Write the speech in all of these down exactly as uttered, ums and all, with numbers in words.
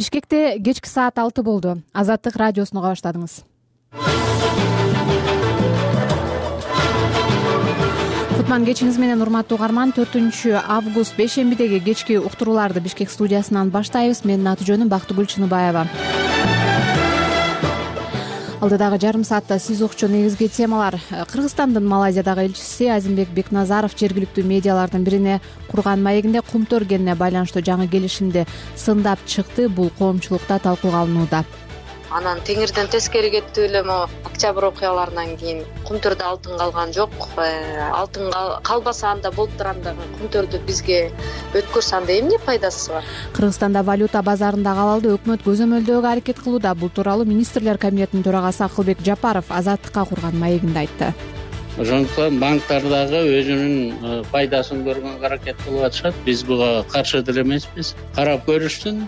Бишкекте кечки саат алты болду. Азаттык радиосун уга баштадыңыз. Кутман кечиңиз менен урматтуу угарман. төртүнчү август бейшембидеги кечки уктурууларды Бишкек студиясынан баштайбыз. Менин аты жөнүм Бактыгүл Чыныбаева. Алдыдагы жарым саатта сиз укчу негизги темалар: Кыргызстандын Малайзиядагы элчиси Азимбек Бекназаров жергиликтүү медиалардын бирине курган маегинде кум төргенине байланыштуу жаңы келишимди сындап чыкты. Бул коомчулукта талкууга алынууда. Анан теңирден тескери кеттип эле мо октябрь окуяларынан кийин кумтөрдө алтын калган жок. Алтын калбаса анда болуп тургандагы кумтөрдү бизге өткөрсө анда эмне пайдасы бар? Кыргызстанда валюта базарында калалды өкмөт көзөмөлдөөгө аракет кылууда. Бул тууралуу министрлер кабинетинин төрагасы Акылбек Жапаров Азаттыкка курган маегинде айтты. Ошондуктан банктар дагы өзүнүн пайдасын көргөнгө аракет кылып атышат. Биз буга каршы деле эмеспиз. Карап көрүшсүн,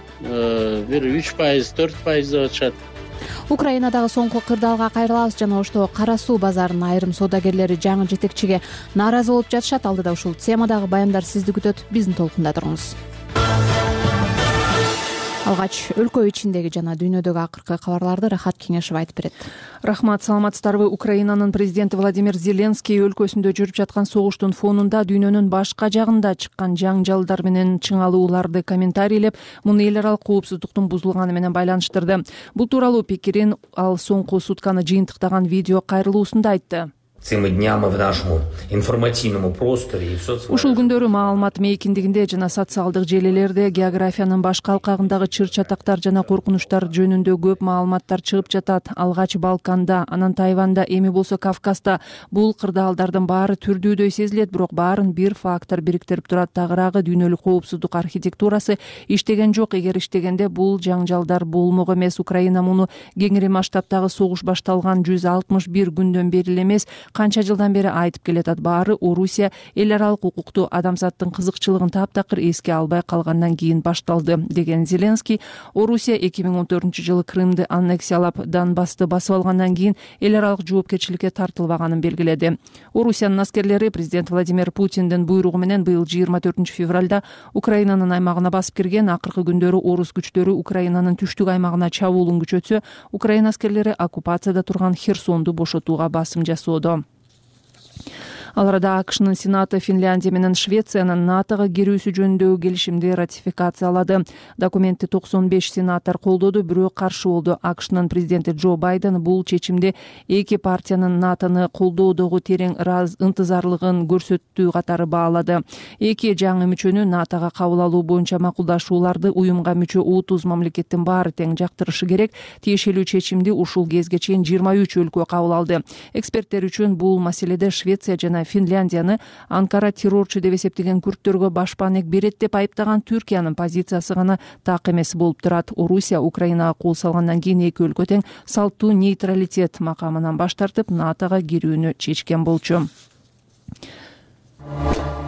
бир үч пайыз, төрт пайыз деп атышат. Украинадагы соңку кырдаалга кайрылабыз. Жана ошто Кара суу базарынын айрым соодагерлери жаңы жетекчиге нааразы болуп жатышат. Алдыда ушул темадагы баяндар сизди күтөт. Биздин толкунда туруңуз. Алгач өлкө ичиндеги жана дүйнөдөгү акыркы кабарларды Рахат Кеңешев айтып берет. Рахмат, саламатсыздарбы? Украинанын президенти Владимир Зеленский өлкөсүндө жүрүп жаткан согуштун фонунда дүйнөнүн башка жагында чыккан жаңжалдар менен чыңалууларды комментарийлеп, муну эл аралык коопсуздуктун бузулганы менен байланыштырды. Бул тууралуу пикирин ал соңку сутканы жыйынтыктаган видео кайрылуусунда айтты. Цими днями в нашему информативному просторе и в соцсетях. Ушул күндөрү маалымат мейкиндигинде жана социалдык желилерде географиянын башка алкагындагы чыр-чатактар жана коркунучтар жөнүндө көп маалыматтар чыгып жатат. Алгач Балканда, анан Тайванда, эми болсо Кавказда бул кырдаалдардын баары түрдүүдөй сезилет, бирок баарын бир фактор бириктирип турат. Тагыраагы дүйнөлүк коопсуздук архитектурасы иштеген жок. Эгер иштегенде бул жаңжалдар болмок эмес. Украина муну кеңири масштабтагы согуш башталган жүз алтымыш бир күндөн бери эле эмес, канча жылдан бери айтып келатат. Баары Орусия эл аралык укукту адамзаттын кызыкчылыгын таптакыр эске албай калгандан кийин башталды, деген Зеленский. Орусия эки миң он төртүнчү жылы Крымды аннексиялап, Донбассты басып алгандан кийин эл аралык жоопкерчиликке тартылбаганын белгиледи. Орусиянын аскерлери президент Владимир Путиндин буйругу менен быйыл жыйырма төртүнчү февралда Украинанын аймагына басып кирген. Акыркы күндөрү орус күчтөрү Украинанын түштүк аймагына чабуулун күчөтсө, Украина аскерлери оккупацияда турган Херсонду бошотууга басым жасоодо. Ал арада АКШнын Сенаты Финляндия менен Швециянын НАТОго кирүүсү жөнүндөгү келишимди ратификациялады. Документти токсон беш сенатор колдоду, бирөө каршы болду. АКШнын президенти Джо Байден бул чечимди эки партиянын НАТОны колдоодогу терең ынтызарлыгын көрсөттүү катары баалады. Эки жаңы мүчөнү НАТОго кабыл алуу боюнча макулдашууларды уюмга мүчө отуз мамлекеттин баары тең жактырышы керек. Тиешелүү чечимди ушул кезге чейин жыйырма үч өлкө кабыл алды. Эксперттер үчүн бул маселеде Швеция жана Финляндияны Анкара террорчу деп эсептеген күрттөргө башпаанек берет деп айыптаган Түркиянын позициясы гана так эмес болуп турат. Орусия Украинага кол салгандан кийин эки өлкө тең салттуу нейтралитет макамынан баш тартып, НАТОго кирүүнү чечкен болчу.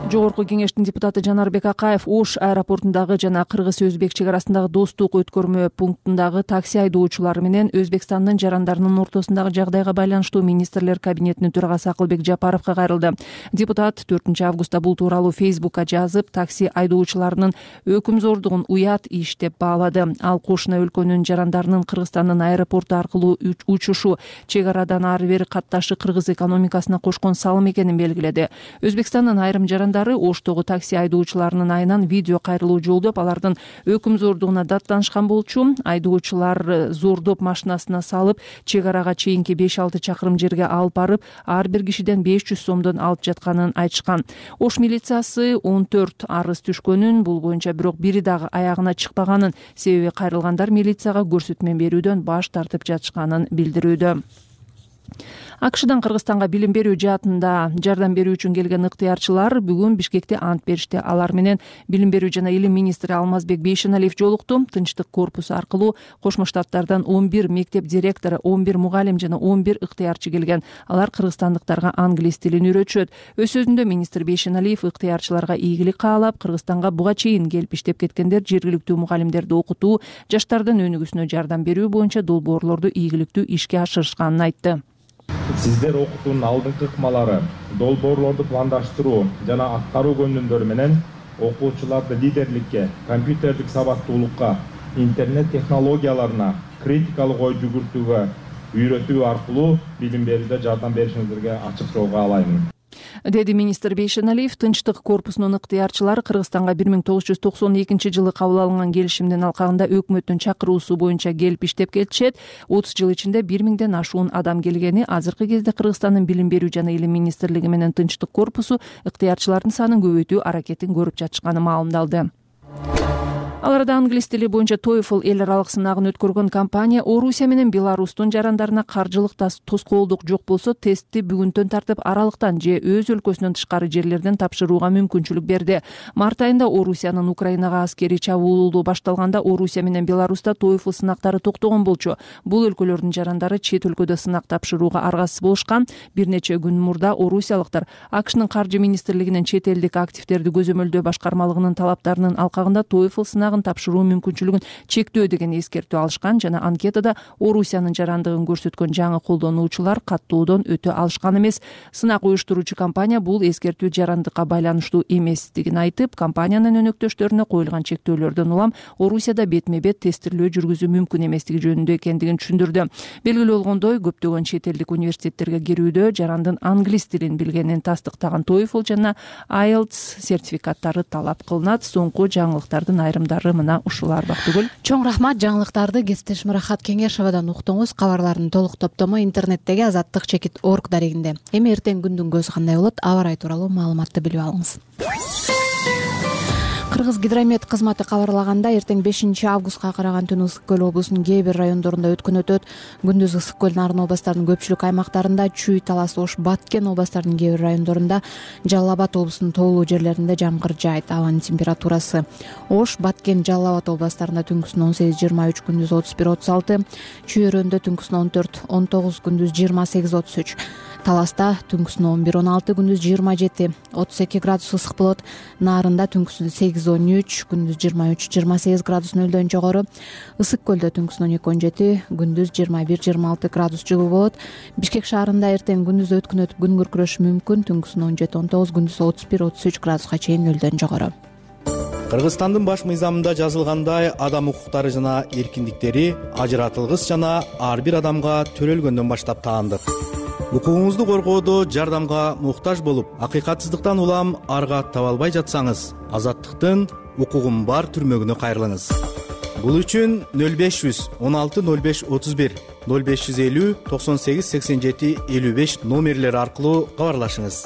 Жогорку кеңештин депутаты Жанарбек Акаев Ош аэропортундагы жана Кыргыз-Өзбек чек арасындагы достук өткөрмө пунктундагы такси айдоочулары менен Өзбекстандын жарандарынын ортосундагы жагдайга байланыштуу министрлер кабинетинин төрагасы Акылбек Жапаровго кайрылды. Депутат төртүнчү августта бул тууралуу Фейсбукка жазып, такси айдоочуларынын өкүмзордугун уят иш деп баалады. Ал кошуна өлкөнүн жарандарынын Кыргызстандын аэропорту аркылуу учушу чек арадан ары бери катташы кыргыз экономикасына кошкон салым экенин белгиледи. Өзбекстандын айрым жарандары Оштогу такси айдоочуларынын айынан видео кайрылуу жолдоп, алардын өкүмзордугуна даттанышкан болчу. Айдоочулар зордоп машинасына салып, чек арага чейинки беш алты чакырым жерге алып барып, ар бир кишиден беш жүз сомдон алып жатканын айтышкан. Ош милициясы он төрт арыз түшкөнүн, бул боюнча бирок бири дагы аягына чыкпаганын, себеби кайрылгандар милицияга көрсөтмө берүүдөн баш тартып жатышканын билдирүүдө. АКШдан Кыргызстанга билим берүү жаатында жардам берүү үчүн келген ыктыярчылар бүгүн Бишкекте ант беришти. Алар менен билим берүү жана илим министри Алмазбек Бейшеналиев жолукту. Тынчтык корпусу аркылуу Кошмо Штаттардан он бир мектеп директору, он бир мугалим жана он бир ыктыярчы келген. Алар кыргызстандыктарга англис тилин үйрөтүшөт. Өз сөзүндө министр Бейшеналиев ыктыярчыларга ийгилик каалап, Кыргызстанга буга чейин келип иштеп кеткендер жергиликтүү мугалимдерди окутуу, жаштардын өнүгүүсүнө жардам берүү боюнча долбоорлорду ийгиликтүү ишке ашырышканын айтты. Сиздер окутуунун алдыңкы ыкмалары, долбоорлорду пландаштыруу жана аткаруу көндүмдөрү менен окуучуларды лидерликке, компьютерлик сабаттуулукка, интернет технологияларына критикалык ой жүгүртүүгө үйрөтүү аркылуу билим берүүдө жардам беришиңиздерге ачык жол каалаймын, деди министр Бейшеналиев. Тынчтык корпусунун ыктыярчылары Кыргызстанга бир миң тогуз жүз токсон экинчи жылы кабыл алынган келишимдин алкагында өкмөттүн чакыруусу боюнча келип иштеп келишет. отуз жыл ичинде бир миңден ашуун адам келгени, азыркы кезде Кыргызстандын билим берүү жана илим министрлиги менен Тынчтык корпусу ыктыярчылардын санын көбөйтүү аракетин көрүп жатышканы маалымдалды. Ал арада англис тили боюнча TOEFL эл аралык сынагын өткөргөн компания Орусия менен Беларустун жарандарына каржылык тоскоолдук жок болсо тестти бүгүндөн тартып аралыктан же өз өлкөсүнөн тышкары жерлерден тапшырууга мүмкүнчүлүк берди. Март айында Орусиянын Украинага аскерий чабуулу башталганда Орусия менен Беларуста TOEFL сынактары токтогон болчу. Бул өлкөлөрдүн жарандары чет өлкөдө сынак тапшырууга аргасыз болушкан. Бир нече күн мурда орусиялыктар АКШнын каржы министрлигинин чет элдик активдерди көзөмөлдөө башкармалыгынын талаптарынын алкагында TOEFL сынагын тапшыруу мүмкүнчүлүгүн чектөө деген эскертүү алышкан жана анкетада Орусиянын жарандыгын көрсөткөн жаңы колдонуучулар каттоодон өтө алышкан эмес. Сынак уюштуруучу компания бул эскертүү жарандыкка байланыштуу эместигин айтып, компаниянын өнөктөштөрүнө коюлган чектөөлөрдөн улам Орусияда бетме бет тестирлөө жүргүзүү мүмкүн эместиги жөнүндө экендигин түшүндүрдү. Белгилүү болгондой, көптөгөн чет элдик университеттерге кирүүдө жарандын англис тилин билгенин тастыктаган TOEFL жана ай эл ти эс сертификаттары талап кылынат. Соңку жаңылыктардын айрымдары мына ушулар Бактыгүл. Чоң рахмат. Жаңылыктарды кесиптешим Рахат Кеңешовадан уктуңуз. Кабарлардын толук топтому интернеттеги азаттык чекит орг дарегинде. Эми эртең күндүн көзү кандай болот? Аба ырайы тууралуу маалыматты билип алыңыз. Кыргыз гидромет кызматы кабарлагандай, эртең бешинчи августка караган түнү Ысык көл облусунун кээ бир райондорунда өткөн өтөт. Күндүз Ысык көл Нарын областарынын көпчүлүк аймактарында, Чүй, Талас, Ош, Баткен областарынын кээ бир райондорунда, Жалал Абад облусунун тоолуу жерлеринде жамгыр жаайт. Абанын температурасы Ош, Баткен, Жалал Абад областарында түнкүсүн он сегиз жыйырма үч, күндүз отуз бир отуз алты, Чүй өрөөндө түнкүсүн он төрт он тогуз, күндүз жыйырма сегиз отуз үч, Таласта түнкүсүн он бир он алты, күндүз жыйырма жети отуз эки градус ысык болот. Нарында түнкүсүн сегиз он үч, күндүз жыйырма үч жыйырма сегиз градус нөлдөн жогору. Ысык көлдө түнкүсүн он эки он жети, күндүз жыйырма бир жыйырма алты градус жылуу болот. Бишкек шаарында эртең күндүз өткөн өтүп күн күркүрөшү мүмкүн. Түнкүсүн он жети он тогуз, күндүз отуз бир отуз үч градуска чейин нөлдөн жогору. Кыргызстандын баш мыйзамында жазылгандай, адам укуктары жана эркиндиктери ажыратылгыс жана ар бир адамга төрөлгөндөн баштап таандык. Укугуңузду коргоодо жардамга муктаж болуп, акыйкатсыздыктан улам арга таба албай жатсаңыз, азаттыктын укугум бар түрмөгүнө кайрылыңыз. Бул үчүн нөл беш жүз он алты нөл беш отуз бир, нөл беш жүз элүү токсон сегиз сексен жети элүү беш номерлери аркылуу кабарлашыңыз.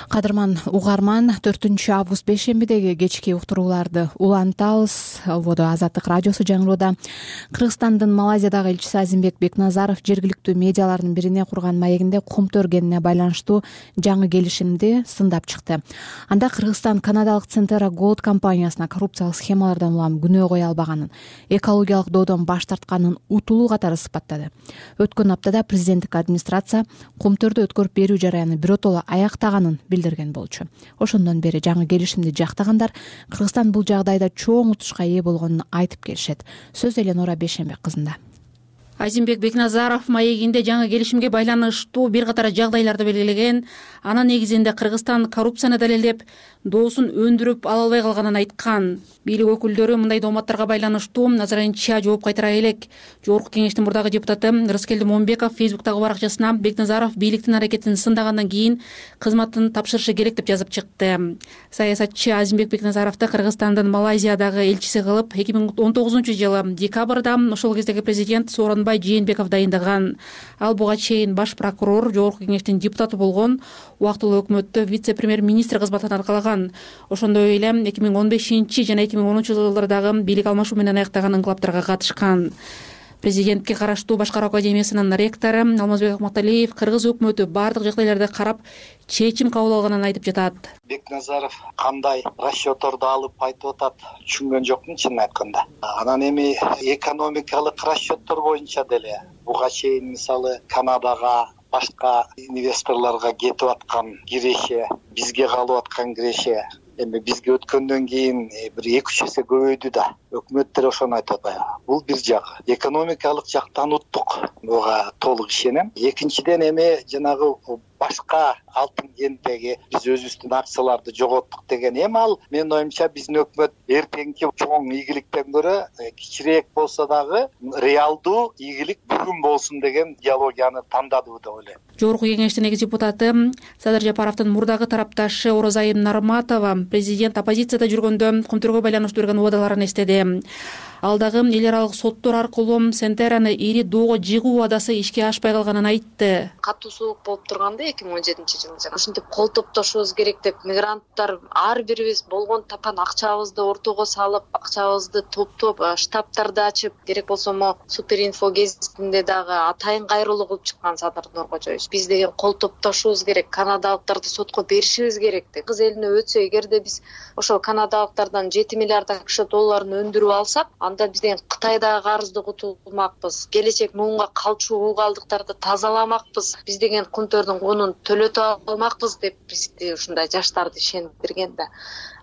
Кадырман угарман, төртүнчү август бейшембидеги кечки уктурууларды улантабыз. Ободо Азаттык радиосу жаңырууда. Кыргызстандын Малайзиядагы элчиси Азимбек Бекназаров жергиликтүү медиалардын бирине курган маегинде кум төргенине байланыштуу жаңы келишимди сындап чыкты. Анда Кыргызстан канадалык Centera Gold компаниясына коррупциялык схемалардан улам күнөө кое албаганын, экологиялык доодон баш тартканын утулуу катары сыпаттады. Өткөн аптада президенттик администрация кум төрдө өткөрүп берүү жараяны биротоло аяктаганын билдирген болчу. Ошондон бери жаңы келишимди жактагандар Кыргызстан бул жагдайда чоң утушка ээ болгонун айтып келишет. Сөз Эленора Бейшембек кызында. Азимбек Бекназаров маегинде жаңы келишимге байланыштуу бир катар жагдайларды белгилеген. Анын негизинде Кыргызстан коррупцияны далилдеп, доосун өндүрүп ала албай калганын айткан. Бийлик өкүлдөрү мындай дооматтарга байланыштуу азырынча жооп кайтара элек. Жогорку кеңештин мурдагы депутаты Рыскелди Момбеков Фейсбуктагы баракчасына Бекназаров бийликтин аракетин сындагандан кийин кызматын тапшырышы керек деп жазып чыкты. Саясатчы Азимбек Бекназаровду Кыргызстандын Малайзиядагы элчиси кылып эки миң он тогузунчу жылы декабрда ошол кездеги президент Сооронбай Жээнбеков дайындаган. Ал буга чейин баш прокурор, жогорку кеңештин депутаты болгон, убактылуу өкмөттө вице-премьер-министр кызматын аркалаган. Ошондой эле эки миң он бешинчи жана эки миң онунчу жылдардагы бийлик алмашуу менен аяктаган инкылаптарга катышкан. Президентке караштуу Башкаруу академиясынын ректору Алмазбек Акматалиев кыргыз өкмөтү бардык жагдайларды карап чечим кабыл алганын айтып жатат. Бекназаров кандай расчётторду алып айтып атат, түшүнгөн жокмун чынын айтканда. Анан эми экономикалык расчёттор боюнча деле буга чейин мисалы Канадага, башка инвесторлорго кетип аткан киреше, бизге калып аткан киреше эми бизге өткөндөн кийин бир эки үч эсе көбөйдү да. Өкмөттөр ошону айтып атат. Бул бир жагы. Экономикалык жактан уттук. Буга толук ишенем. Экинчиден эми жанагы башка алтын кенттеги биз өзүбүздүн акцияларды жоготтук деген эми ал менин оюмча биздин өкмөт эртеңки чоң ийгиликтен көрө кичирээк болсо дагы реалдуу ийгилик бүгүн болсун деген идеологияны тандады деп ойлойм. Жогорку кеңештин экс депутаты Садыр Жапаровдун мурдагы тарапташы Орозайым Нарматова президент оппозицияда жүргөндө Кумтөргө байланыштуу берген убадаларын эстеди. Ал дагы эл аралык соттор аркылуу Сентераны ири доого жыгуу убадасы ишке ашпай калганын айтты. Катуу суук болуп турганда эки миң он жетинчи жылы жана ушинтип кол топтошубуз керек деп мигранттар ар бирибиз болгон тапан акчабызды ортого салып, акчабызды топтоп, штабтарды ачып, керек болсо мо Суперинфо гезитинде дагы атайын кайрылуу кылып чыккан Садыр Нуркожоевич. Биз деген кол топтошубуз керек, канадалыктарды сотко беришибиз керек деп. Кыз элине өтсө, эгерде биз ошол канадалыктардан жети миллиард акш долларын өндүрүп алсак, анда биз деген Кытайдагы карызды кутулмакпыз, келечек муунга калчу угалдыктарды тазаламакпыз, биз деген Кумтөрдүн кунун төлөтө алмакпыз деп бизди ушундай жаштарды ишендирген да.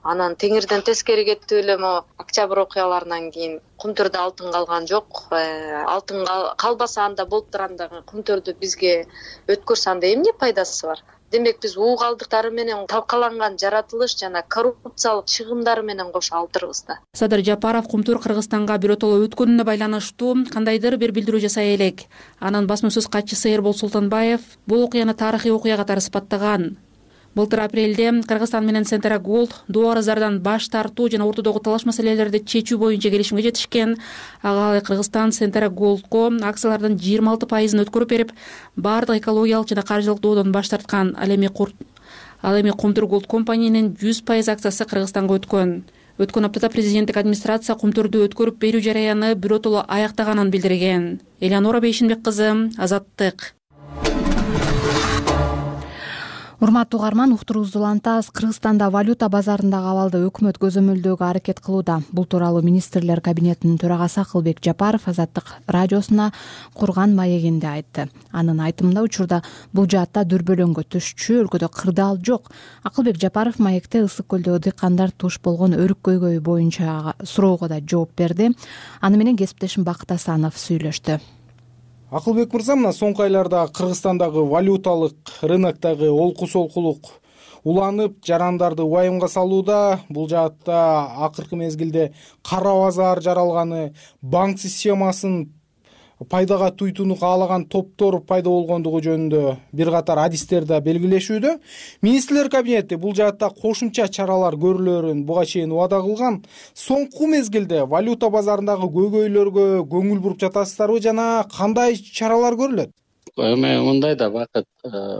Анан теңирден тескери кеттип эле мо октябрь окуяларынан кийин Кумтөрдө алтын калган жок. Алтын калбаса анда болуп тургандагы Кумтөрдү бизге өткөрсө анда эмне пайдасы бар? Демек биз угалдыктары менен талкаланган жаратылыш жана коррупциялык чыгымдары менен кошо алдырбыз да. Садыр Жапаров Кумтөр Кыргызстанга биротоло өткөнүнө байланыштуу кандайдыр бир билдирүү жасай элек. Анын басма сөз катчысы Эрбол Султанбаев бул окуяны тарыхый окуя катары сыпаттаган. Былтыр апрелде Кыргызстан менен Сентера Голд доо арыздардан баш тартуу жана ортодогу талаш маселелерди чечүү боюнча келишимге жетишкен. Ага Кыргызстан Сентера Голдко акциялардын жыйырма алты пайызын өткөрүп берип, баардык экологиялык жана каржылык доодон баш тарткан. Ал эми Ал эми Кумтөр Голд компаниянын жүз пайыз акциясы Кыргызстанга өткөн. Өткөн аптада президенттик администрация Кумтөрдү өткөрүп берүү жараяны биротоло аяктаганын билдирген. Элеонора Бейшинбек кызы, Азаттык. Урматтуу угарман, уктуруубузду улантабыз. Кыргызстанда валюта базарындагы абалды өкмөт көзөмөлдөөгө аракет кылууда. Бул тууралуу министрлер кабинетинин төрагасы Акылбек Жапаров Азаттык радиосуна Курган маегинде айтты. Анын айтымында учурда бул жаатта дүрбөлөңгө түшчү, өлкөдө кырдаал жок. Акылбек Жапаров маекте ысык көлдөгү дыйкандар туш болгон өрүк көйгөйү боюнча суроого да жооп берди. Аны менен кесиптешим Бакыт Асанов сүйлөштү. Акылбек мырза, мына соңку айларда Кыргызстандагы валюталык рыноктогу олку солкулук уланып, жарандарды убайымга салууда. Бул жаатта акыркы мезгилде кара базар жаралганы, банк системасын пайдага туйтууну каалаган топтор пайда болгондугу жөнүндө бир катар адистер да белгилешүүдө. Министрлер кабинети бул жаатта кошумча чаралар көрүлөрүн буга чейин убада кылган. Соңку мезгилде валюта базарындагы көйгөйлөргө көңүл буруп жатасыздарбы жана кандай чаралар көрүлөт? Эми мындай да Бакыт,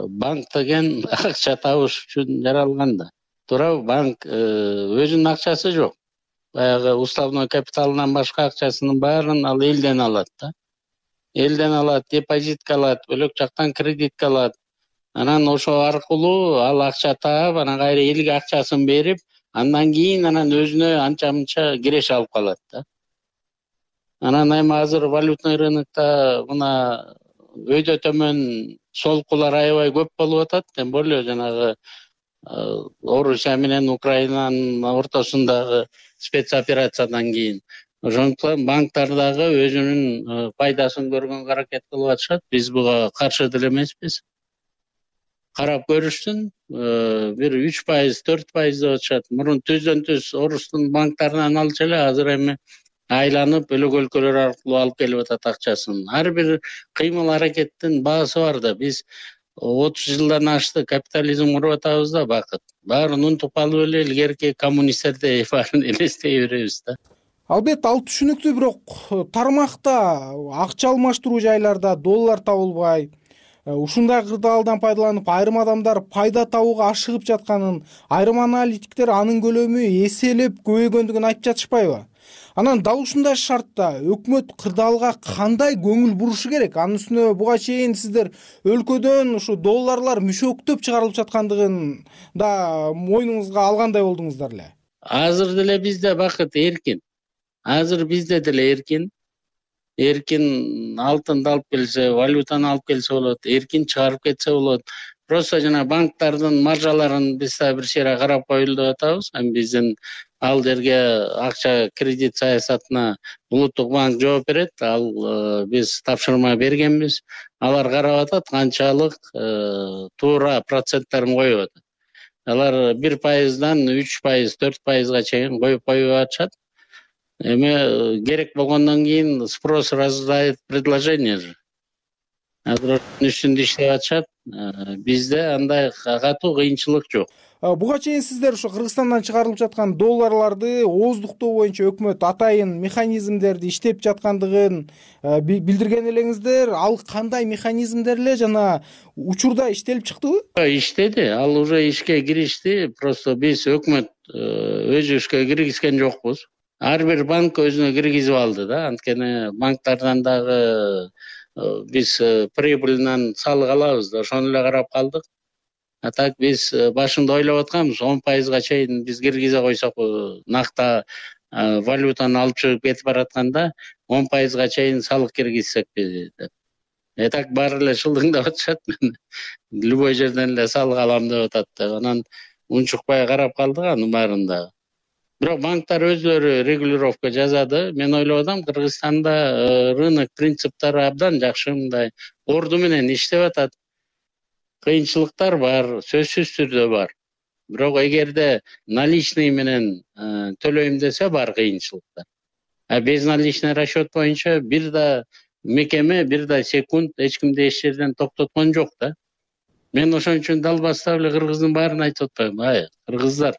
банк деген акча табыш үчүн жаралган да. Туурабы? Банк өзүнүн акчасы жок. Баягы уставной капиталынан башка акчасынын баарын ал элден алат да. Элден алат, депозитке алат, бөлөк жактан кредитке алат. Анан ошо аркылуу ал акча таап, анан кайра элге акчасын берип, андан кийин анан өзүнө анча-мынча киреш алып калат да. Анан эми азыр валютный рынокто мына өйдө төмөн солкулар аябай көп болуп атат. Тем более жанагы Орусия менен Украинанын ортосундагы спецоперациядан кийин. Ошондуктан банктар дагы өзүнүн пайдасын көргөнгө аракет кылып атышат. Биз буга каршы деле эмеспиз. Карап көрүшсүн, бир үч пайыз, төрт пайыз деп атышат. Мурун түздөн түз Орустун банктарынан алчу эле, азыр эми айланып бөлөк өлкөлөр аркылуу алып келип атат акчасын. Ар бир кыймыл аракеттин баасы бар да. Биз отуз жылдан ашты капитализм куруп атабыз да, Бакыт. Баарын унутуп алып эле илгерки коммунисттердей баарын элестей беребиз да. Албетте, ал түшүнүктүү, бирок тармакта акча алмаштыруу жайларда доллар табылбай, ушундай кырдаалдан пайдаланып айрым адамдар пайда табууга ашыгып жатканын, айрым аналитиктер анын көлөмү эселеп көбөйгөндүгүн айтып жатышпайбы? Анан дал ушундай шартта өкмөт кырдаалга кандай көңүл бурушу керек? Анын үстүнө буга чейин сиздер өлкөдөн ушу долларлар мүшөктөп чыгарылып жаткандыгын да мойнуңузга алгандай болдуңуздар эле. Азыр деле бизде Бакыт эркин. Азыр бизде деле эркин. Эркин алтынды алып келсе, валютаны алып келсе болот, эркин чыгарып кетсе болот. просто жана банктардын маржаларын биз да бир чейре карап коелу деп атабыз. Эми биздин ал жерге акча кредит саясатына улуттук банк жооп берет. Ал биз тапшырма бергенбиз. Алар карап атат канчалык туура проценттерин коюп атат. Алар бир пайыздан үч пайыз, төрт пайызга чейин коюп коюп атышат. Эми керек болгондон кийин спрос рождает предложение же. Азыр үстүндө иштеп атышат. Бизде андай катуу кыйынчылык жок. Буга чейин сиздер ушу Кыргызстандан чыгарылып жаткан долларларды ооздуктоо боюнча өкмөт атайын механизмдерди иштеп жаткандыгын билдирген элеңиздер. Ал кандай механизмдер эле жана учурда иштелип чыктыбы? Иштеди, ал уже ишке киришти. Просто биз өкмөт өзү ишке киргизген жокпуз. Ар бир банк өзүнө киргизип алды да. Анткени банктардан дагы биз прибыльнан салык алабыз да, ошону эле карап калдык. А так биз башында ойлоп атканбыз он пайызга чейин биз киргизе койсок, накта валютаны алып чыгып кетип баратканда он пайызга чейин салык киргизсекпи деп. Э так баары эле шылдыңдап атышат. Любой жерден эле салык алам деп атат деп. Анан унчукпай карап калдык анын баарында. Бирок банктар өзлөрү регулировка жасады. Мен ойлоп атам, Кыргызстанда рынок принциптери абдан жакшы, мындай орду менен иштеп атат. Кыйынчылыктар бар, сөзсүз түрдө бар. Бирок эгерде наличный менен төлөйм десе бар кыйынчылыктар. А без наличный расчет боюнча бир да мекеме, бир да секунд эч кимди эч жерден токтоткон жок да. Мен ошон үчүн далбастап эле кыргыздын баарын айтып атпаймынбы? Ай, кыргыздар,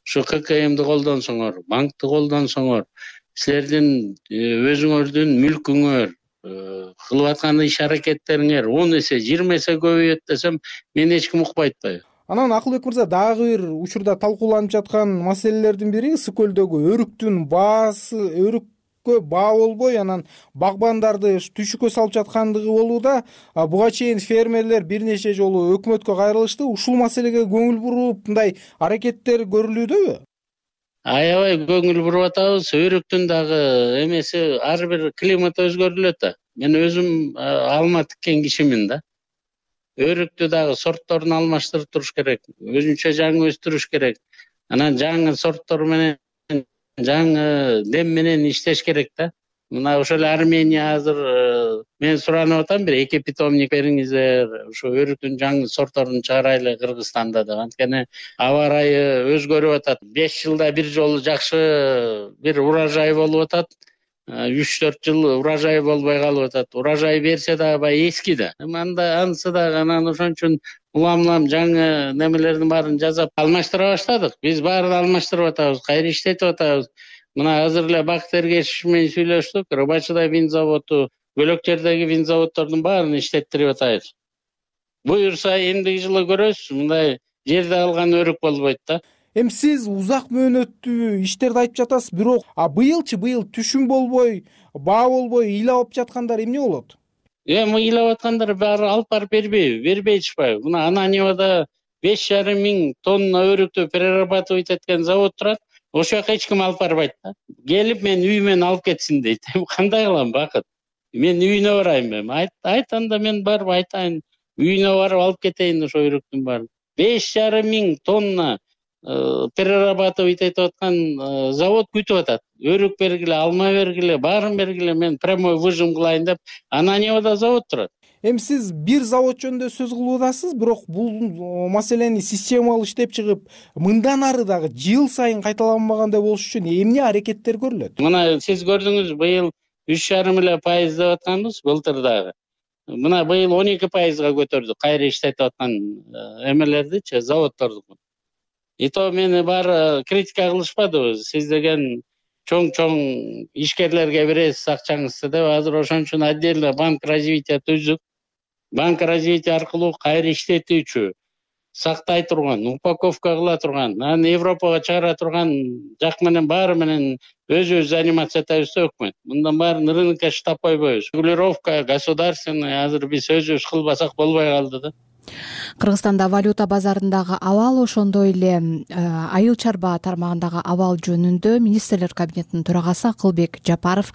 ушу ка ка эмди колдонсоңор, банкты колдонсоңор, силердин өзүңөрдүн мүлкүңөр, кылып аткан иш аракеттериңер он эсе, жыйырма эсе көбөйөт десем, мен эч ким укпай атпайбы? Анан Акылбек мырза, дагы бир учурда талкууланып жаткан маселелердин бири ысык көлдөгү өрүктүн баасы, өрүккө баа болбой, анан багбандарды түшүккө салып жаткандыгы болууда. Буга чейин фермерлер бир нече жолу өкмөткө кайрылышты. Ушул маселеге көңүл буруп, мындай аракеттер көрүлүүдөбү? Аябай көңүл буруп атабыз. Өрүктүн дагы эмеси, ар бир климат өзгөрүлөт да. Мен өзүм алма тиккен кишимин да. Өрүктү дагы сортторун алмаштырып туруш керек. Өзүнчө жаңы өстүрүш керек. Анан жаңы сорттор менен, жаңы дем менен иштеш керек да. Мына ошол эле Армения азыр мен суранып атам, бир эки питомник бериңиздер, ошо өрүктүн жаңы сортторун чыгарайлы Кыргызстанда деп. Анткени аба ырайы өзгөрүп атат. беш жылда бир жолу жакшы бир урожай болуп атат. үч төрт жыл урожай болбой калып атат. Урожай берсе дагы бай эски да. Анда анысы дагы, анан ошон үчүн улам-улам жаңы немелердин баарын жасап алмаштыра баштадык. Биз баарын алмаштырып атабыз, кайра иштетип атабыз. Мына азыр эле Бакыт Эргешев менен сүйлөштүк. Рыбачыда вин заводу, Бөлөкчердеги вин заводдордун баарын иштеттирип атабыз. Буюрса эмдиги жылы көрөсүз, мындай жерде алган өрүк болбойт да. Эми сиз узак мөөнөттүү иштерди айтып жатасыз, бирок а быйылчы быйыл түшүм болбой, баа болбой ыйлап жаткандар эмне болот? Эми ыйлап аткандар баары алып барып бербейби, бербей чыкпайбы? Мына Ананьевада беш жарым миң тонна өрүктү перерабатывать эткен завод турат. Ошол жака эч ким алып барбайт да. Келип мен үйүмөн алып кетсин дейт. Кандай кылам, Бакыт? Мен үйүнө барайынбы эми? Айт, айт анда мен барып айтайын. Үйүнө барып алып кетейин ошо өрүктүн баарын. беш жарым миң тонна перерабатывать этип аткан завод күтүп атат. Өрүк бергиле, алма бергиле, баарын бергиле, мен прямой выжим кылайын деп Ананьевада завод турат. Эми сиз бир завод жөнүндө сөз кылып атасыз, бирок бул маселени системалуу иштеп чыгып, мындан ары дагы жыл сайын кайталанбагандай болуш үчүн эмне аракеттер көрүлөт? Мына сиз көрдүңүз, быйыл үч жарым эле пайыз деп атканбыз, былтыр дагы. Мына быйыл он эки пайызга көтөрдүк кайра иштетип аткан эмелердичи, заводдорду. И то мени баары критика кылышпадыбы, сиз деген чоң-чоң ишкерлерге бересиз акчаңызды деп. Азыр ошон үчүн отдельно банк развития түздүк. Банк развития аркылуу кайра иштетүүчү, сактай турган, упаковка кыла турган, анан Европага чыгара турган жак менен баары менен өзүбүз заниматься этебиз да өкмөт. Мындан баарын рынокко штап койбойбуз. Регулировка государственный азыр биз өзүбүз кылбасак болбой калды да. Кыргызстанда валюта базарындагы абал, ошондой эле айыл чарба тармагындагы абал жөнүндө министрлер кабинетинин төрагасы Акылбек Жапаров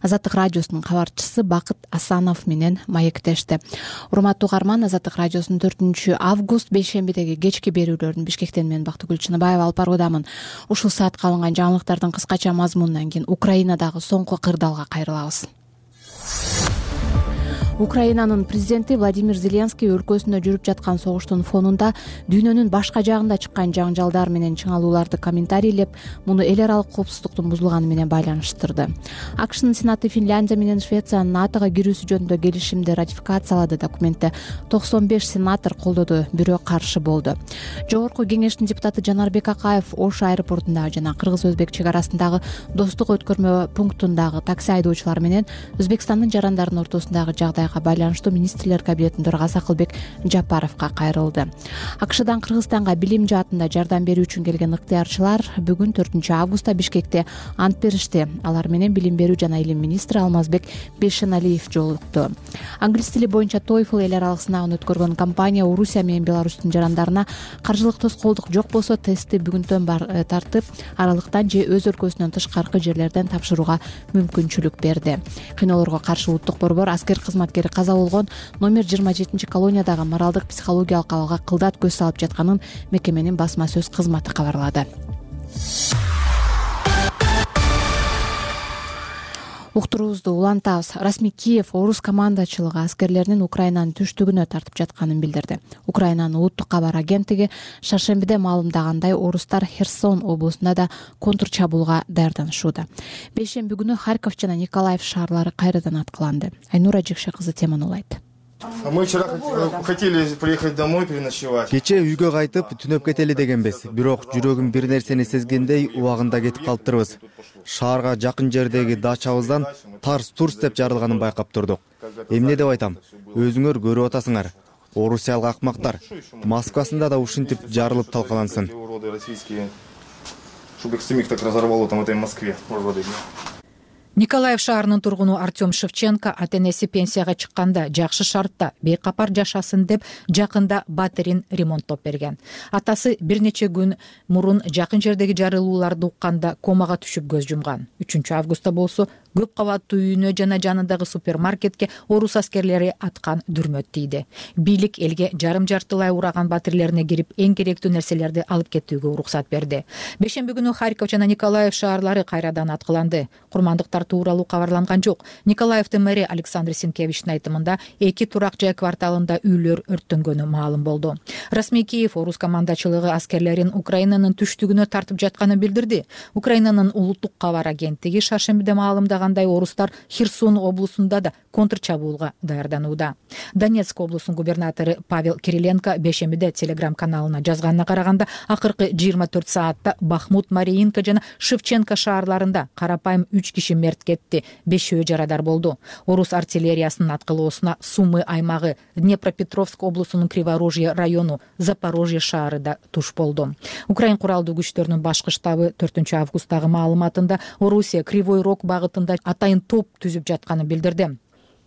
Азаттык радиосунун кабарчысы Бакыт Асанов менен маектешти. Урматтуу угарман, Азаттык радиосунун төртүнчү август бейшембидеги кечки берүүлөрүн Бишкектен мен Бактыгүл Чыныбаева алып баруудамын. Ушул саатка алынган жаңылыктардын кыскача мазмунунан кийин Украинадагы соңку кырдаалга кайрылабыз. Украинанын президенти Владимир Зеленский өлкөсүндө жүрүп жаткан согуштун фонунда дүйнөнүн башка жагында чыккан жаңжалдар менен чыңалууларды комментарийлеп, муну эл аралык коопсуздуктун бузулганы менен байланыштырды. АКШнын Сенаты Финляндия менен Швециянын НАТОго кирүүсү жөнүндө келишимди ратификациялады. Документти токсон беш сенатор колдоду, бирөө каршы болду. Жогорку кеңештин депутаты Жанарбек Акаев Ош аэропортундагы жана кыргыз-өзбек чек арасындагы достук өткөрмө пунктундагы такси айдоочулар менен Өзбекстандын жарандарынын ортосундагы жагдай байланыштуу министрлер кабинетинин төрагасы Акылбек Жапаровго кайрылды. АКШдан Кыргызстанга билим жаатында жардам берүү үчүн келген ыктыярчылар бүгүн төртүнчү августта Бишкекте ант беришти. Алар менен билим берүү жана илим министри Алмазбек Бейшеналиев жолукту. Англис тили боюнча TOEFL эл аралык сынагын өткөргөн компания Орусия менен Беларустун жарандарына каржылык тоскоолдук жок болсо тестти бүгүнтөн бар тартып, аралыктан же өз өлкөсүнөн тышкаркы жерлерден тапшырууга мүмкүнчүлүк берди. Кыйноолорго каршы улуттук борбор аскер кызматкери каза болгон номер жыйырма жетинчи колониядагы моралдык психологиялык абалга кылдат көз салып жатканын мекеменин басма сөз кызматы кабарлады. Уктуруубузду улантабыз. Расмий Киев орус командачылыгы аскерлеринин Украинанын түштүгүнө тартып жатканын билдирди. Украинанын улуттук кабар агенттиги шаршембиде маалымдагандай, орустар Херсон облусунда да контрчабуулга даярданышууда. Бейшемби күнү Харьков жана Николаев шаарлары кайрадан аткыланды. Айнура Жекше кызы теманы улайт. Мы вчера хотели приехать домой переночевать. Кече үйгө кайтып түнөп кетели дегенбиз. Бирок жүрөгүм бир нерсени сезгендей убагында кетип калыптырбыз. Шаарга жакын жердеги дачабыздан тарс-турс деп жарылганын байкап турдук. Эмне деп айтам? Өзүңөр көрүп атасыңар. Орусиялык акмактар. Москвасында да ушинтип жарылып талкалансын. Чтобы их самих так разорвало там в этой Москве. Николаев шаарынын тургуну Артем Шевченко ата-энеси пенсияга чыкканда жакшы шартта бейкапар жашасын деп жакында батирин ремонттоп берген. Атасы бир нече күн мурун жакын жердеги жарылууларды укканда комага түшүп көз жумган. үчүнчү августта болсо көп кабаттуу үйүнө жана жанындагы супермаркетке орус аскерлери аткан дүрмөт тийди. Бийлик элге жарым жартылай ураган батирлерине кирип эң керектүү нерселерди алып кетүүгө уруксат берди. Бейшемби күнү Харьков жана Николаев шаарлары кайрадан аткыланды. Курмандыктар тууралуу кабарланган жок. Николаевдин мэри Александр Синкевичтин айтымында эки турак жай кварталында үйлөр өрттөнгөнү маалым болду. Расмий Киев орус командачылыгы аскерлерин Украинанын түштүгүнө тартып жатканын билдирди. Украинанын улуттук кабар агенттиги шаршембиде маалымдагандай, орустар Херсон облусунда да контрчабуулга даярданууда. Донецк облусунун губернатору Павел Кириленко бейшембиде Телеграм каналына жазганына караганда, акыркы жыйырма төрт саатта Бахмут, Мариинка жана Шевченко шаарларында карапайым үч киши мерт кетти, бешөө жарадар болду. Орус артиллериясынын аткылоосуна Сумы аймагы, Днепропетровск облусунун Криворожье району, Запорожье шаары да туш болду. Украин куралдуу күчтөрүнүн башкы штабы төртүнчү августтагы маалыматында Орусия Кривой Рог багытында атайын топ түзүп жатканын билдирди.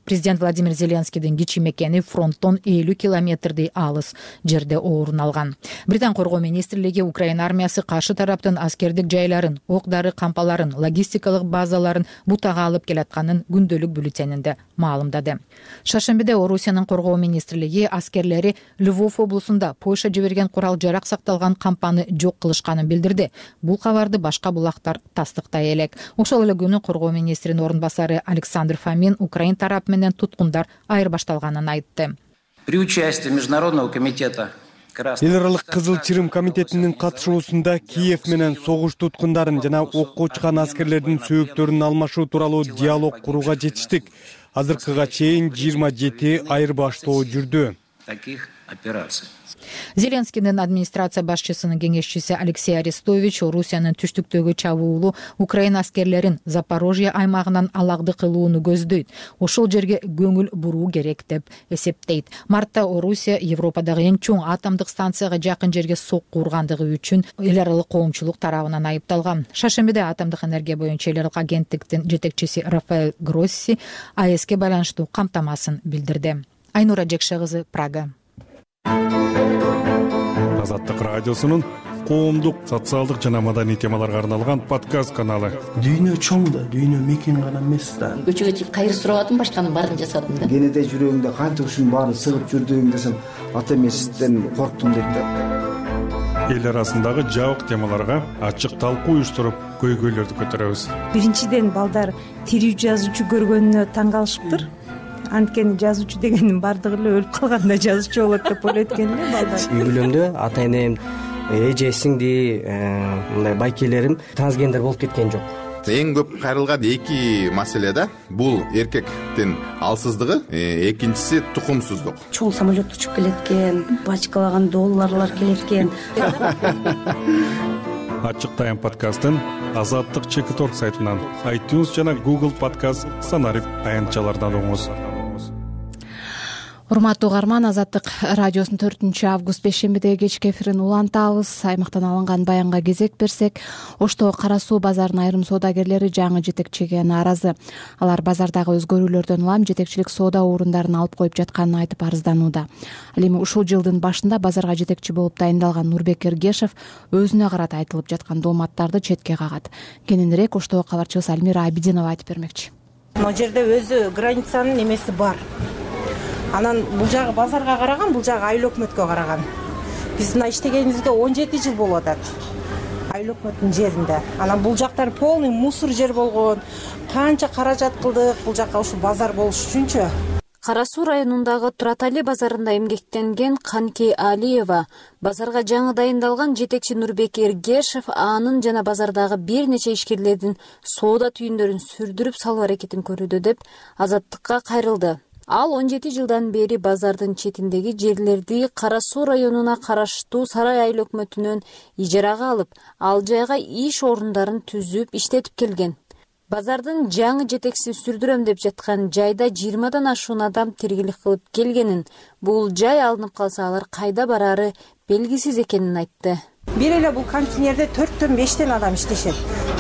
Президент Владимир Зеленскийдин кичи мекени фронттон элүү километрдей алыс жерде орун алган. Британ коргоо министрлиги Украина армиясы каршы тараптын аскердик жайларын, ок-дары кампаларын, логистикалык базаларын бутага алып келатканын күндөлүк бюллетенинде маалымдады. Шаршембиде Орусиянын коргоо министрлиги аскерлери Львов облусунда Польша жиберген курал жарак сакталган кампаны жок кылышканын билдирди. Бул кабарды башка булактар тастыктай элек. Ошол эле күнү коргоо министринин орун басары Александр Фомин Украин тарап менен туткундар айырбашталганын айтты. При участии Международного комитета Эл аралык Кызыл Чырым комитетинин катышуусунда Киев менен согуш туткундарын жана окко чыккан аскерлердин сөөктөрүн алмашуу тууралуу диалог курууга жетиштик. Азыркыга чейин жыйырма жети айырбаштоо жүрдү. Таких операций. Зеленскийдин администрация башчысынын кеңешчиси Алексей Арестович Орусиянын түштүктөгү чабуулу Украина аскерлерин Запорожье аймагынан алакды кылууну көздөйт. Ошол жерге көңүл буруу керек деп эсептейт. Мартта Орусия Европадагы эң чоң атомдук станцияга жакын жерге сокку ургандыгы үчүн эл аралык коомчулук тарабынан айыпталган. Шаршембиде атомдук энергия боюнча эл аралык агенттиктин жетекчиси Рафаэль Гросси АЭСке байланыштуу камтамасын билдирди. Айнура Жекше кызы, Прага. Азаттык радиосунун коомдук, социалдык жана маданий темаларга арналган подкаст каналы. Дүйнө чоң да, дүйнө мекен гана эмес да. Көчөгө чыгып кайыр сурабадым, башканын баарын жасадым да. Кенеде жүрөгүңдө канча ушунун баары сыгып жүрдүң десем, ата эмесизден корктум дейт да. Эл арасындагы жабык темаларга ачык талкуу уюштуруп, көйгөйлөрдү көтөрөбүз. Биринчиден балдар тирүү жазуучу көргөнүнө таң калышыптыр. Анткени жазуучу дегенин баардыгы эле өлүп калганда жазуучу болот деп ойлойт экен эле балдар. Үй бүлөмдө ата энем, эже сиңди, мындай байкелерим трансгендер болуп кеткен жок. Эң көп кайрылган эки маселе да. Бул эркектин алсыздыгы, экинчиси тукумсуздук. Чоң самолет учуп келет экен, бачкалаган долларлар келет экен. Ачык тайм подкастын Азаттык чекит точка орг сайтынан, iTunes жана Google подкаст санарип аянтчалардан угуңуз. Урматтуу угарман, Азаттык радиосунун төртүнчү август бейшембидеги кечки эфирин улантабыз. Аймактан алынган баянга кезек берсек, Оштогу Кара Суу базарынын айрым соодагерлери жаңы жетекчиге нааразы. Алар базардагы өзгөрүүлөрдөн улам жетекчилик соода орундарын алып коюп жатканын айтып арызданууда. Ал эми ушул жылдын башында базарга жетекчи болуп дайындалган Нурбек Эргешев өзүнө карата айтылып жаткан дооматтарды четке кагат. Кененирээк Оштогу кабарчыбыз Альмира Абидинова айтып бермекчи. Могу жерде өзү границанын немеси бар. Анан бул жагы базарга караган, бул жагы айыл өкмөткө караган. Биз мына иштегенибизге он жети жыл болуп атат. Айыл өкмөттүн жеринде. Анан бул жактар полный мусор жер болгон. Канча каражат кылдык бул жакка ушу базар болуш үчүнчү. Кара Суу районундагы Туратали базарында эмгектенген Канки Алиева базарга жаңы дайындалган жетекчи Нурбек Эргешев анын жана базардагы бир нече ишкерлердин соода түйүндөрүн сүрдүрүп салуу аракетин көрүүдө деп Азаттыкка кайрылды. Ал он жети жылдан бери базардын четиндеги жерлерди Кара Суу районуна караштуу Сарай айыл өкмөтүнөн ижарага алып, ал жайга иш орундарын түзүп иштетип келген. Базардын жаңы жетекчисин сүрдүрөм деп жаткан жайда жыйырмадан ашуун адам тиргелик кылып келгенин, бул жай алынып калса алар кайда бараары белгисиз экенин айтты. Бир эле бул контейнерде төрттөн бештен адам иштешет.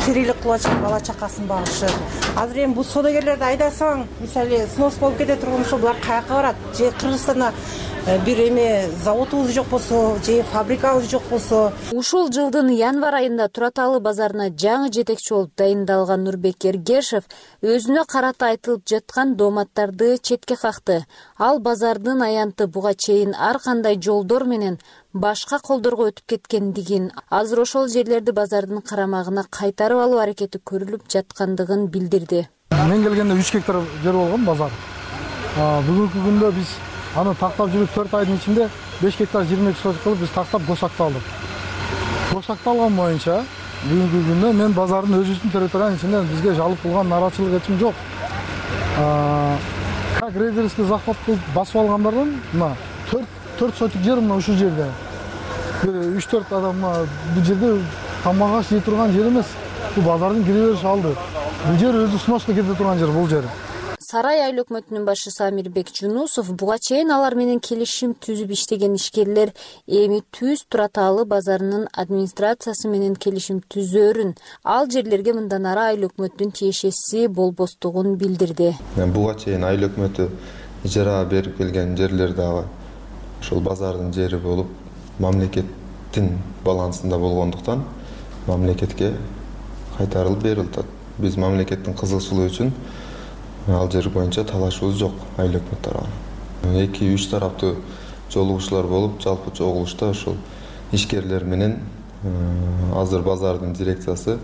Тирилик кылып, бала чакасын багышып. Азыр эми бул соодагерлерди айдасаң, мисалы, снос болуп кете турган болсо, булар каяка барат? Же Кыргызстанда бир эме заводубуз жок болсо, же фабрикабыз жок болсо. Ушул жылдын январь айында Тураталы базарына жаңы жетекчи болуп дайындалган Нурбек Эргешев өзүнө карата айтылып жаткан дооматтарды четке какты. Ал базардын аянты буга чейин ар кандай жолдор менен башка колдорго өтүп кеткендигин, азыр ошол жерлерди базардын карамагына кайтарып алуу аракети көрүлүп жаткандыгын билдирди. Мен келгенде үч гектар жер болгон базар. Бүгүнкү күндө биз аны тактап жүрүп төрт айдын ичинде беш гектар жыйырма эки соток кылып биз тактап госакталдык. Госакталган боюнча бүгүнкү күндө мен базардын өзүбүздүн территориянын ичинде бизге жалып кылган нааразычылык эчим жок. Как рейдерский захват кылып басып алгандардан мына төрт соток жер мына ушул жерде. үч төрт адам бул жерде тамак жей турган жер эмес. Бул базардын кире бериш алды. Бул жер өзү сноска кете турган жер бул жер. Сарай айыл өкмөтүнүн башчысы Амирбек Жунусов буга чейин алар менен келишим түзүп иштеген ишкерлер эми Түз Тураталы базарынын администрациясы менен келишим түзөрүн, ал жерлерге мындан ары айыл өкмөттүн тиешеси болбостугун билдирди. Буга чейин айыл өкмөтү ижарага берип келген жерлер дагы ошол базардын жери болуп, мамлекеттин балансында болгондуктан мамлекетке кайтарылып берилди. Биз мамлекеттин кызыкчылыгы үчүн ал жер боюнча талашыбыз жок айыл өкмөт тарабынан. эки үч тараптуу жолугушуулар болуп, жалпы чогулушта ошол ишкерлер менен азыр базардын дирекциясы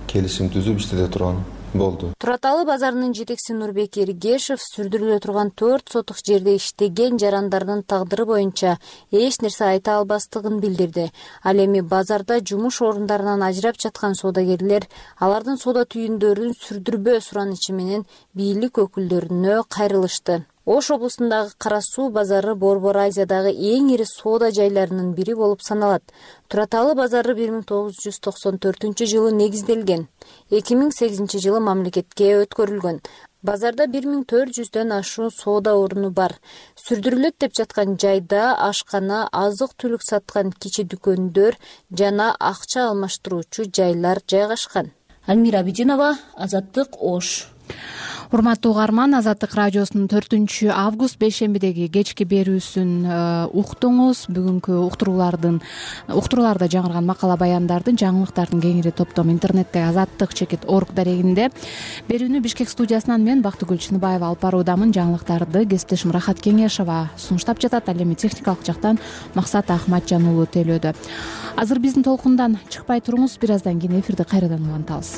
келишим түзүп иштете турган болду. Тураталы базарынын жетекчиси Нурбек Эргешев сүрдүрүлө турган төрт соток жерде иштеген жарандардын тагдыры боюнча эч нерсе айта албастыгын билдирди. Ал эми базарда жумуш орундарынан ажырап жаткан соодагерлер алардын соода түйүндөрүн сүрдүрбөө суранычы менен бийлик өкүлдөрүнө кайрылышты. Ош облусундагы Кара Суу базары Борбор Азиядагы эң ири соода жайларынын бири болуп саналат. Тураталы базары бир миң тогуз жүз токсон төртүнчү жылы негизделген. эки миң сегизинчи жылы мамлекетке өткөрүлгөн. Базарда бир миң төрт жүздөн ашуун соода оруну бар. Сүрдүрүлөт деп жаткан жайда ашкана, азык-түлүк саткан кичи дүкөндөр жана акча алмаштыруучу жайлар жайгашкан. Альмира Абидинова, Азаттык, Ош. урматтуу угарман, Азаттык радиосунун төртүнчү август бейшембидеги кечки берүүсүн уктуңуз. Бүгүнкү уктуруулардын уктурууларда жаңырган макала баяндардын, жаңылыктардын кеңири топтому интернеттеги азаттык чекит орг дарегинде. Берүүнү Бишкек студиясынан мен Бактыгүл Чыныбаева алып баруудамын. Жаңылыктарды кесиптешим Рахат Кеңешова сунуштап жатат. Ал эми техникалык жактан Максат Ахматжан уулу тейлөөдө. Азыр биздин толкундан чыкпай туруңуз, бир аздан кийин эфирди кайрадан улантабыз.